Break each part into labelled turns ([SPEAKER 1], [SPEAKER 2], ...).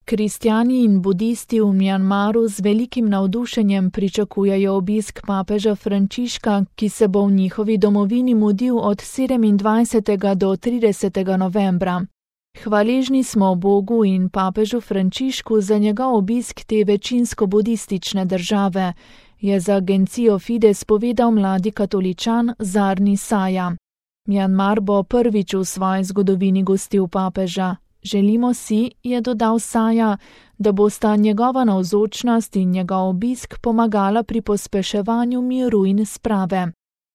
[SPEAKER 1] Kristjani in budisti v Mjanmaru z velikim navdušenjem pričakujejo obisk papeža Frančiška, ki se bo v njihovi domovini mudil od 27. do 30. novembra. Hvaležni smo Bogu in papežu Frančišku za njegov obisk te večinsko budistične države, je za agencijo Fides povedal mladi katoličan Zarni Saja. Mjanmar bo prvič v svoji zgodovini gostil papeža. Želimo si, je dodal Saja, da bosta njegova navzočnost in njegov obisk pomagala pri pospeševanju miru in sprave.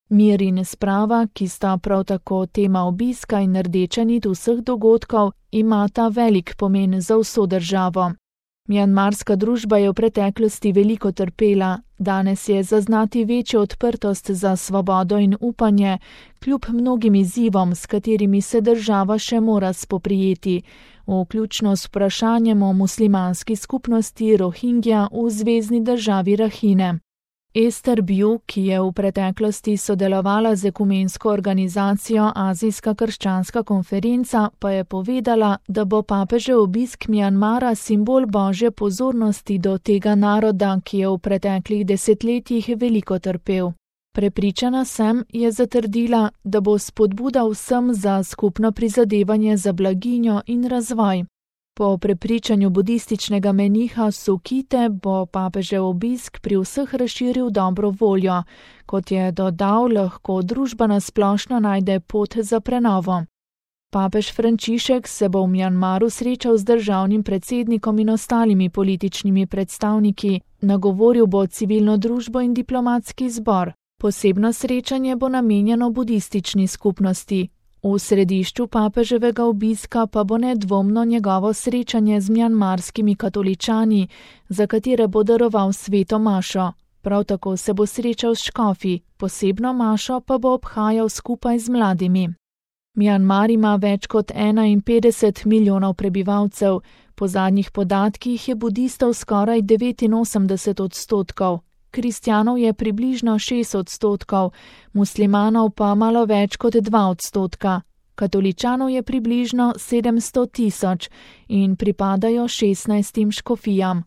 [SPEAKER 1] Mir in sprava, ki sta prav tako tema obiska in rdeča nit vseh dogodkov, imata velik pomen za vso državo. Mjanmarska družba je v preteklosti veliko trpela, danes je zaznati večjo odprtost za svobodo in upanje, kljub mnogim izzivom, s katerimi se država še mora spoprijeti, vključno s vprašanjem o muslimanski skupnosti Rohingja v zvezni državi Rakhine. Ester Bju, ki je v preteklosti sodelovala z ekumensko organizacijo Azijska krščanska konferenca, pa je povedala, da bo papežev obisk Mjanmara simbol božje pozornosti do tega naroda, ki je v preteklih desetletjih veliko trpel. Prepričana sem, je zatrdila, da bo spodbuda vsem za skupno prizadevanje za blaginjo in razvoj. Po prepričanju budističnega meniha Sukite bo papežev obisk pri vseh razširil dobro voljo, kot je dodal, lahko družba nasplošno najde pot za prenovo. Papež Frančišek se bo v Mjanmaru srečal z državnim predsednikom in ostalimi političnimi predstavniki, nagovoril bo civilno družbo in diplomatski zbor. Posebno srečanje bo namenjeno budistični skupnosti. V središču papeževega obiska pa bo nedvomno njegovo srečanje z mjanmarskimi katoličani, za katere bo daroval sveto mašo. Prav tako se bo srečal s škofi, posebno mašo pa bo obhajal skupaj z mladimi. Mjanmar ima več kot 51 milijonov prebivalcev, po zadnjih podatkih je budistov skoraj 89%. Kristjanov je približno 6%, muslimanov pa malo več kot 2%, katoličanov je približno 700 tisoč in pripadajo 16 škofijam.